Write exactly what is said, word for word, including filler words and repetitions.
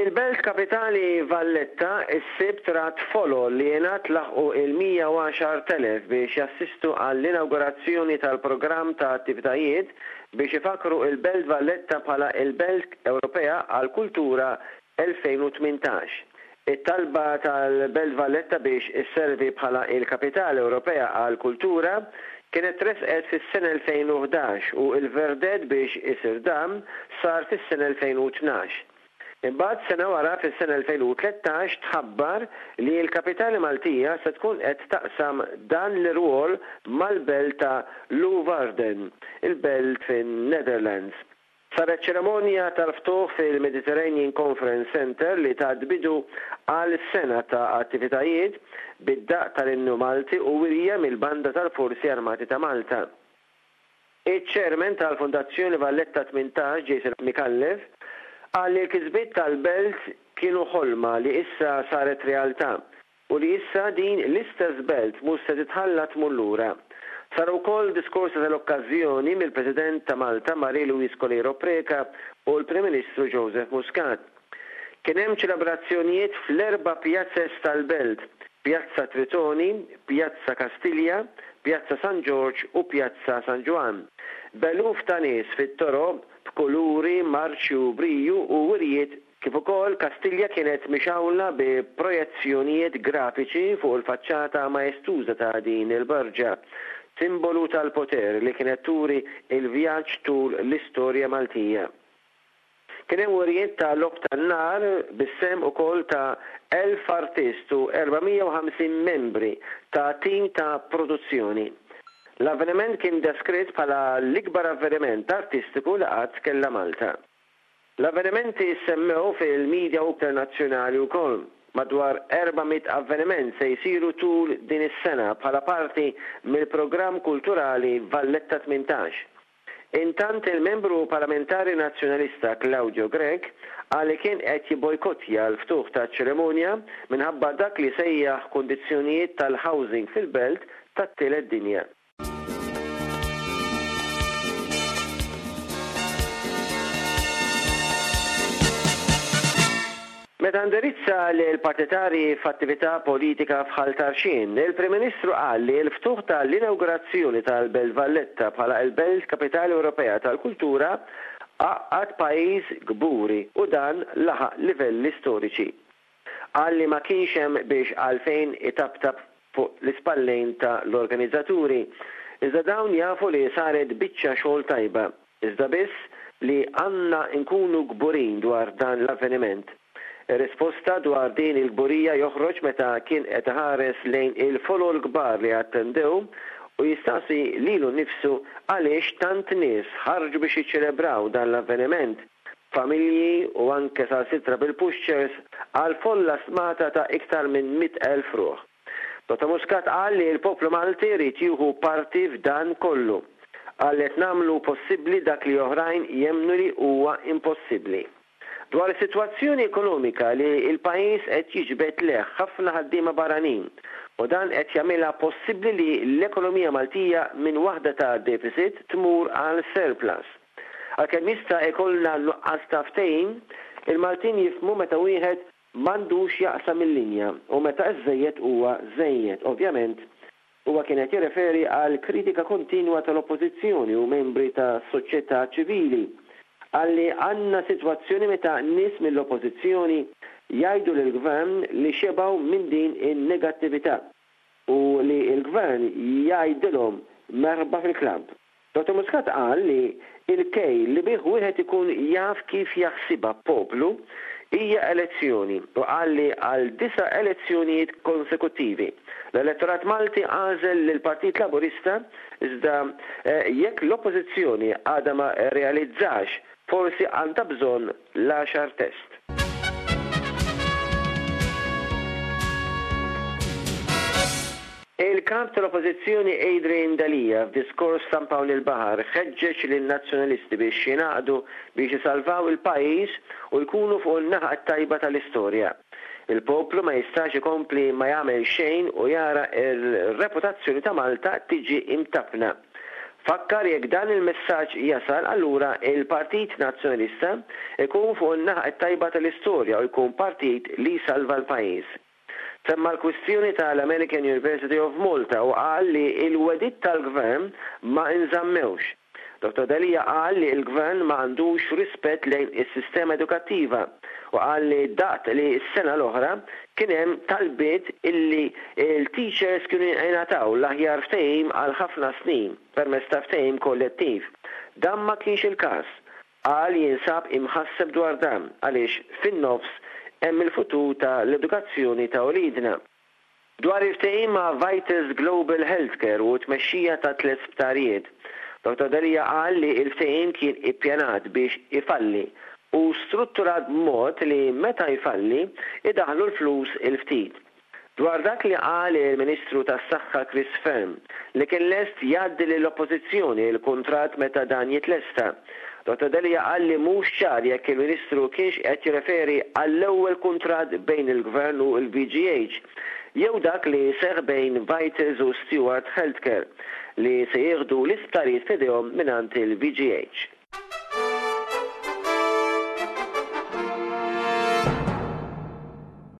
Il-belt kapitali Valletta is-Sibt rat folol li jingħad laħqu il-mija u għaxart elef biex jassistu għall-inawgurazzjoni tal-programm ta' attivitajiet biex ifakru il-Belt Valletta bħala il-Belt Ewropea għall-Kultura elfejn u tmintax. It-talba tal-Belt Valletta biex isservi bħala il-Kapitali Ewropea għall-Kultura kienet tresqet fis-sena elfejn u ħdax u il-verdett biex isir dan sar fis-sena elfejn u tnax. Imbagħad sena wara fis-sena elfejn u tlettax tħabbar li l-kapitali Maltija se tkun qed taqsam dan l-irwol mal-belt ta' Leeuwarden, il-belt fin-Netherlands. Saret ċerimonja tal-ftuħ fil-Mediterranean Conference Center li tat bidu għal sena ta' attivitajiet bid-daqq tal-innu Malti u wirja mill-Banda tal-Forzi Armati ta' Malta. Iċ-chairman tal-Fondazzjoni Valletta tmintax, Jason Micallef, qal li l-kisbiet tal-belt kienu ħolma li issa saret realtà u li issa din l-istess belt mhux se titħalla tmur lura. Sar ukoll diskorsi tal-okkażjoni mill-President ta' Malta Marie-Louise Coleiro Preca u l-Prim Ministru Joseph Muscat. Kien hemm ċelebrazzjonijiet fl-erba' pjazzes tal-belt, Pjazza Tritoni, Pjazza Kastilja, Pjazza San Ġorġ u Pjazza San Ġwann. B'eluf ta' nies fit-toroq b'kuluri, marċi u briju u wirjiet, kif ukoll Kastilja kienet mixawla bi projezzjonijiet grafiċi fuq il-faċċata maestuża ta' din il-barġa, simbolu tal-poter li kienet turi il-vjaġġ tul l-istorja Maltija. Kien hemm wirjiet ta' logħob tan-nar bis-sehem ukoll ta' elf artist u erba' mija u ħamsin membri ta' tim ta' produzzjoni. L-avveniment kien deskritt bħala l-ikbar avveniment artistiku li qatt kellha Malta. L-avvenimenti semmew fil-medja internazzjonali wkoll. Madwar erba' mitt avveniment se jsiru tul din is-sena bħala parti mill-programm kulturali Valletta tmintax. Intant il-membru parlamentari nazzjonalista Claudio Grech qal li kien qed jibbojkottja l-ftuħ taċ-ċerimonja minħabba dak li sejjaħ kundizzjonijiet tal-housing fil-belt tat-tielet dinja. Meta indirizza lill-partitarji f'attività politika f'Ħal Tarxien, il-Prim Ministru qal li l-ftuħ tal-inawgurazzjoni tal-Belt Valletta bħala l-Belt Kapitali Ewropea tal-Kultura għaqqad pajjiż kburi u dan laħaq livelli storiċi. Qal li ma kienx hemm biex għalfejn itaptap fuq l-ispallejn ta' l-organizzaturi, iżda dawn jafu li saret biċċa xogħol tajba, iżda biss li għandna nkunu kburin dwar dan l-avveniment. Ir-risposta dwar din il-kburija joħroġ meta kien qed iħares lejn il-folol kbar li attendew u jistaqsi lilu nnifsu għaliex tant nies ħarġu biex jiċċelebraw dan l-avveniment, familji u anke sal-sitra bil-pushchairs għal folla stmata ta' iktar minn mitt elf ruħ. Dottor Muscat qal li l-poplu Malti jrid jieħu parti f'dan kollu. Qal li qed nagħmlu possibbli dak li oħrajn jemmnu li huwa impossibbli. Dwar is-sitwazzjoni ekonomika li l-pajjiż qed jiġbed leh ħafna ħaddiema barranin u dan qed jagħmilha possibbli li l-ekonomija Maltija minn waħda ta' deficit tmur għal surplus. Għalkemm jista' jkollna nuqqas ta' ftehim, il-Maltin jifhmu meta wieħed m'għandux jaqsam il-linja u meta iż-żejjed huwa żejjed. Ovvjament, huwa kien qed jirreferi għal kritika kontinwa tal-Oppożizzjoni u membri ta' soċjetà ċivili. Għalli għandna sitwazzjoni meta nies mill-Oppożizzjoni jgħidu lill-Gvern li xebgħu minn din in-negattività u li l-Gvern jgħidilhom merħba fil-klabb. Dottor Muscat qal li il-kejl li bih wieħed ikun jaf kif jaħsibha poplu hija elezzjoni u qal li għal disa' elezzjonijiet konsekuttivi. L-elettorat Malti għażel lill-Partit Laburista iżda, eh, jekk l-Oppożizzjoni għadha ma realizzax forsi għandha bżonn l-għaxar test. Il-kap tal-Oppożizzjoni Adrian Delia f'diskors San Pawl il-Baħar ħeġġeġ lin-nazzjonalisti biex jingħaqdu biex isalvaw il-pajjiż u jkunu fuq in-naħa t-tajba tal-istorja. Il-poplu ma jistax ikompli ma jagħmel xejn u jara r-reputazzjoni ta' Malta tiġi imtappna. Fakkar jekk dan il-messaġġ jasal, allura il-Partit Nazzjonalista ikun fuq in-naħa t-tajba tal-istorja u jkun partit li jsalva l-pajjiż. Semma l-kwistjoni tal-American University of Malta u qal li l-wegħdiet tal-gvern ma nżammewx. Dottor Delia qal li l-gvern ma għandux rispett lejn is-sistema edukattiva u qal li daqt li s-sena l-oħra kien hemm talbiet illi l-teachers kienu jingħataw l-aħjar ftehim għal ħafna snin permezz ta' ftehim kollettiv. Dan ma kienx il-każ. Qal jinsab imħasseb dwar dan għaliex fin-nofs hemm il-futur ta' l-edukazzjoni ta' uliedna. Dwar il-ftehim ma' Vitals Global Healthcare u t-tmexxija ta' tliet sptarijiet, Dottor Delia qal li l-ftehim kien ippjanat biex ifalli u strutturat b'mod li meta jfalli idaħħlu l-flus il-ftit. Dwar dak li qal il-Ministru tas-Saħħa Chris Fearne li kien lest jgħaddi lill-Oppożizzjoni l-kuntratt meta dan jitlesta, Dottor Delia qal li mhux ċar jekk il-Ministru kienx qed jirreferi għall-ewwel kuntratt bejn il-Gvern u l-V G H jew dak li seħ bejn Vitals u Steward Healthcare li se jieħdu l-isptarijiet f'idejhom mingħand il-V G H.